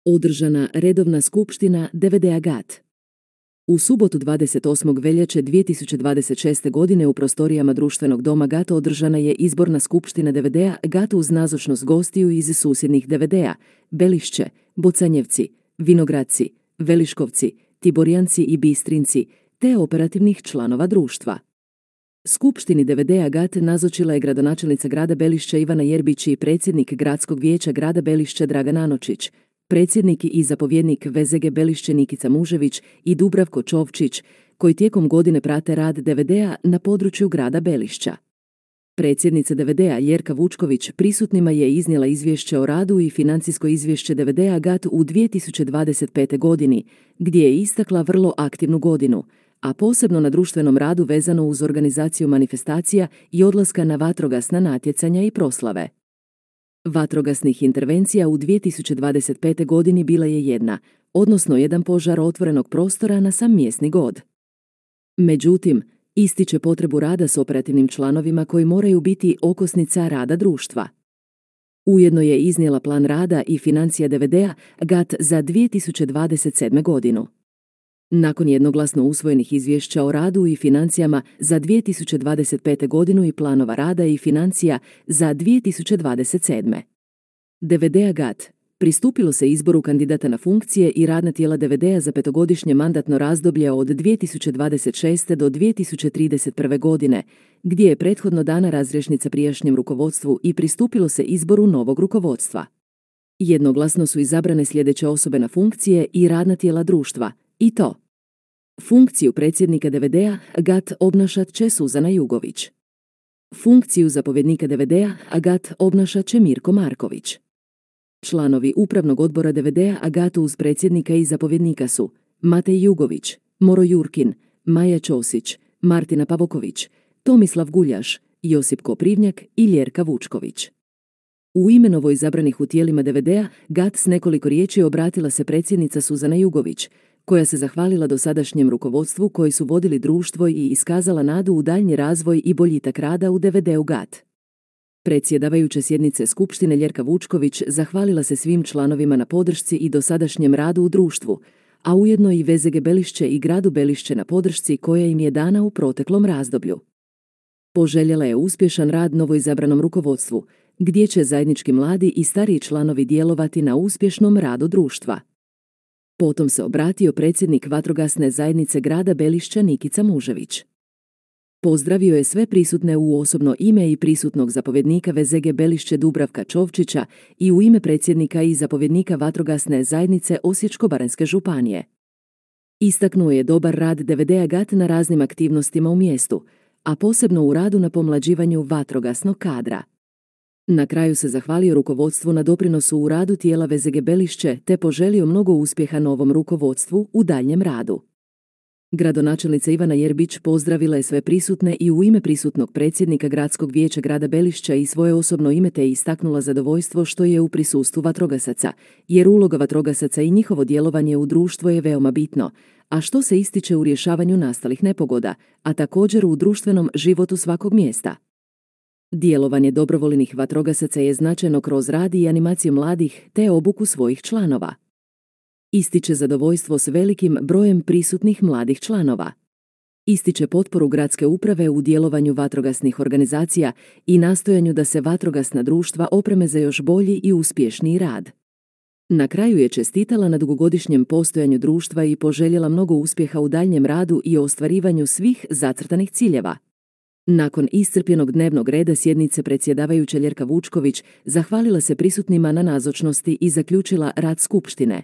Održana redovna skupština DVD-a GAT. U subotu 28. veljače 2026. godine u prostorijama društvenog doma GAT održana je izborna skupština DVD-a GAT uz nazočnost gostiju iz susjednih DVD-a Belišće, Bocanjevci, Vinogradci, Veliškovci, Tiborjanci i Bistrinci, te operativnih članova društva. Skupštini DVD-a GAT nazočila je gradonačelnica grada Belišća Ivana Jerbić i predsjednik Gradskog vijeća grada Belišća Dragan Anočić, predsjednik i zapovjednik VZG Belišće Nikica Mužević i Dubravko Čovčić, koji tijekom godine prate rad DVD-a na području grada Belišća. Predsjednica DVD-a Ljerka Vučković prisutnima je iznijela izvješće o radu i financijsko izvješće DVD-a GAT u 2025. godini, gdje je istakla vrlo aktivnu godinu, a posebno na društvenom radu vezano uz organizaciju manifestacija i odlaska na vatrogasna natjecanja i proslave. Vatrogasnih intervencija u 2025. godini bila je jedna, odnosno jedan požar otvorenog prostora na sam mjesni god. Međutim, ističe potrebu rada s operativnim članovima koji moraju biti okosnica rada društva. Ujedno je iznijela plan rada i financija DVD-a GAT za 2027. godinu. Nakon jednoglasno usvojenih izvješća o radu i financijama za 2025. godinu i planova rada i financija za 2027. DVD-a GAT pristupilo se izboru kandidata na funkcije i radna tijela DVD-a za petogodišnje mandatno razdoblje od 2026. do 2031. godine, gdje je prethodno dana razrješnica prijašnjem rukovodstvu i pristupilo se izboru novog rukovodstva. Jednoglasno su izabrane sljedeće osobe na funkcije i radna tijela društva, i to: funkciju predsjednika DVD-a GAT obnašat će Suzana Jugović. Funkciju zapovjednika DVD-a GAT obnašat će Mirko Marković. Članovi upravnog odbora DVD-a GAT uz predsjednika i zapovjednika su Matej Jugović, Moro Jurkin, Maja Ćosić, Martina Pavoković, Tomislav Guljaš, Josip Koprivnjak i Ljerka Vučković. U ime novo izabranih u tijelima DVD-a GAT s nekoliko riječi obratila se predsjednica Suzana Jugović, koja se zahvalila dosadašnjem rukovodstvu koji su vodili društvo i iskazala nadu u daljnji razvoj i boljitak rada u DVD-u GAT. Predsjedavajuća sjednice skupštine Ljerka Vučković zahvalila se svim članovima na podršci i dosadašnjem radu u društvu, a ujedno i VZG Belišće i gradu Belišće na podršci koja im je dana u proteklom razdoblju. Poželjela je uspješan rad novoizabranom rukovodstvu, gdje će zajednički mladi i stariji članovi djelovati na uspješnom radu društva. Potom se obratio predsjednik vatrogasne zajednice grada Belišća Nikica Mužević. Pozdravio je sve prisutne u osobno ime i prisutnog zapovjednika VZG Belišće Dubravka Čovčića i u ime predsjednika i zapovjednika vatrogasne zajednice Osječko-baranjske županije. Istaknuo je dobar rad DVD-a GAT na raznim aktivnostima u mjestu, a posebno u radu na pomlađivanju vatrogasnog kadra. Na kraju se zahvalio rukovodstvu na doprinosu u radu tijela VZG Belišće te poželio mnogo uspjeha novom rukovodstvu u daljnjem radu. Gradonačelnica Ivana Jerbić pozdravila je sve prisutne i u ime prisutnog predsjednika Gradskog vijeća grada Belišća i svoje osobno ime te istaknula zadovoljstvo što je u prisustvu vatrogasaca, jer uloga vatrogasaca i njihovo djelovanje u društvo je veoma bitno, a što se ističe u rješavanju nastalih nepogoda, a također u društvenom životu svakog mjesta. Djelovanje dobrovoljnih vatrogasaca je značajno kroz rad i animaciju mladih te obuku svojih članova. Ističe zadovoljstvo s velikim brojem prisutnih mladih članova. Ističe potporu gradske uprave u djelovanju vatrogasnih organizacija i nastojanju da se vatrogasna društva opreme za još bolji i uspješniji rad. Na kraju je čestitala na dugogodišnjem postojanju društva i poželjela mnogo uspjeha u daljnjem radu i ostvarivanju svih zacrtanih ciljeva. Nakon iscrpljenog dnevnog reda sjednice predsjedavajuća Ljerka Vučković zahvalila se prisutnima na nazočnosti i zaključila rad skupštine.